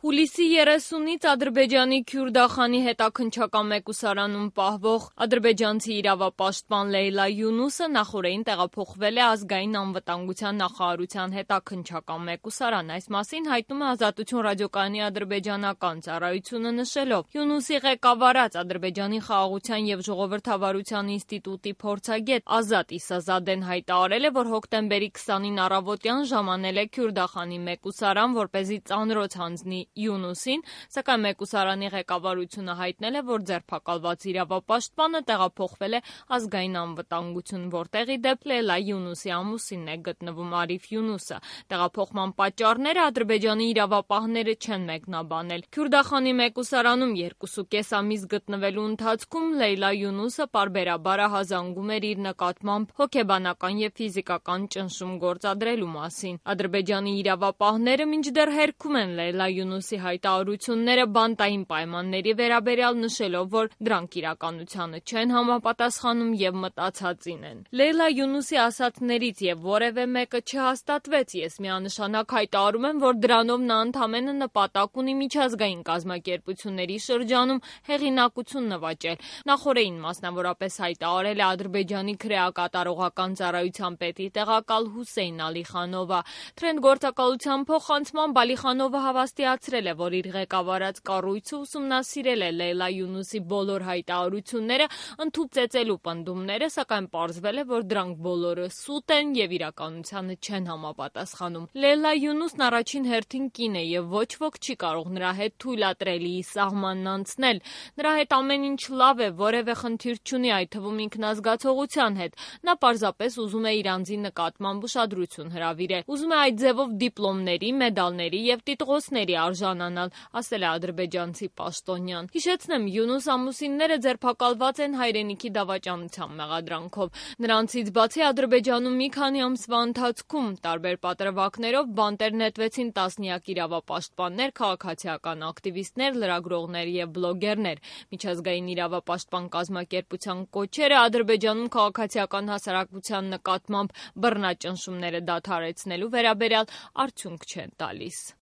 Հուլիսի 30-ից Ադրբեջանի Քյուրդախանի հետաքննչական մեկուսարանում պահվող ադրբեջանցի իրավապաշտպան Լեյլա Յունուսը նախօրեին տեղափոխվել է Ազգային անվտանգության նախարարության հետաքննչական մեկուսարան։ Այս մասին հայտնում է Ազատություն ռադիոկայանի ադրբեջանական ծառայությունը, նշելով. Յունուսի ղեկավարած Ադրբեջանի խաղաղության և ժողովրդավարության ինստիտուտի փորձագետ Ազատ Իսազադեն հայտարարել է, որ հոկտեմբերի 20-ին առավոտյան ժամանել է Քյուրդախանի մեկուսարան, որպեսզի ծանրոց հանձնի Յունուսին, սակայն մեկուսարանի ղեկավարությունը հայտնել է, որ ձերբակալված իրավապաշտպանը տեղափոխվել է Ազգային անվտանգություն, որտեղ ի դեպ Լեյլա Յունուսի ամուսինն է գտնվում Արիֆ Յունուսը։ Տեղափոխման պատճառները Ադրբեջանի իրավապահները չեն մեկնաբանել։ Քյուրդախանի մեկուսարանում 2.5 ամիս գտնվելու ընթացքում Լեյլա Յունուսը պարբերաբար ահազանգում էր իր նկատմամբ հոգեբանական և ֆիզիկական ճնշում գործադրելու մասին։ Ադրբեջանի իրավապահները մինչդեռ հերքում են Լեյլա Յունուսի հայտարարությունները բանտային պայմանների վերաբերյալ, նշելով, որ դրանք իրականությանը չեն համապատասխանում և մտածածին են։ Լեյլա Յունուսի ասածներից և որևէ մեկը չհաստատվեց։ Ես միանշանակ հայտարարում եմ, որ դրանով նա ընդամենը նպատակ ունի միջազգային կազմակերպությունների շրջանում հեղինակություն նվաճել։ Նախօրեին մասնավորապես հայտարարել է Ադրբեջանի քրեակատարողական ծառայության պետի տեղակալ Հուսեյն Ալիխանովը։ Թրենդ գործակալության փոխանցմամբ Ալիխանովը հավաստիացրել է, որ իր ղեկավարած կառույցը ուսումնասիրել է Լեյլա Յունուսի բոլոր հայտարարությունները, ընդհուպծեցելու պնդումները, սակայն պարզվել է, որ դրանք բոլորը սուտ են և իրականությանը չեն համապատասխանում։ Լեյլա Յունուսն առաջին հերթին կին է և ոչ ոք չի կարող նրա հետ թույլատրելիի սահմանն անցնել։ Նրա հետ ամեն ինչ լավ է, որևէ խնդիր չունի, այդ թվում ինքնազգացողության հետ։ Նա պարզապես ուզում է իր անձի նկատմամբ ուշադրություն հրավիրել։ Ուզում է այդ ձևով դիպլոմների, մեդալների և տիտղոսների արժանանալ, ասել է ադրբեջանցի պաշտոնյան։ Հիշեցնեմ, Յունուս ամուսինները ձերբակալված են հայրենիքի դավաճանության մեղադրանքով։ Նրանցից բացի Ադրբեջանում մի քանի ամսվա ընթացքում տարբեր պատրվակներով բանտեր նետվեցին տասնյակ իրավապաշտպաններ, քաղաքացիական ակտիվիստներ, լրագրողներ և բլոգերներ։ Միջազգային իրավապաշտպան կազմակերպության կոչերը Ադրբեջանում քաղաքացիական հասարակության նկատմամբ բռնաճնշումները դադարեցնելու վերաբերյալ արդյունք չեն տալիս։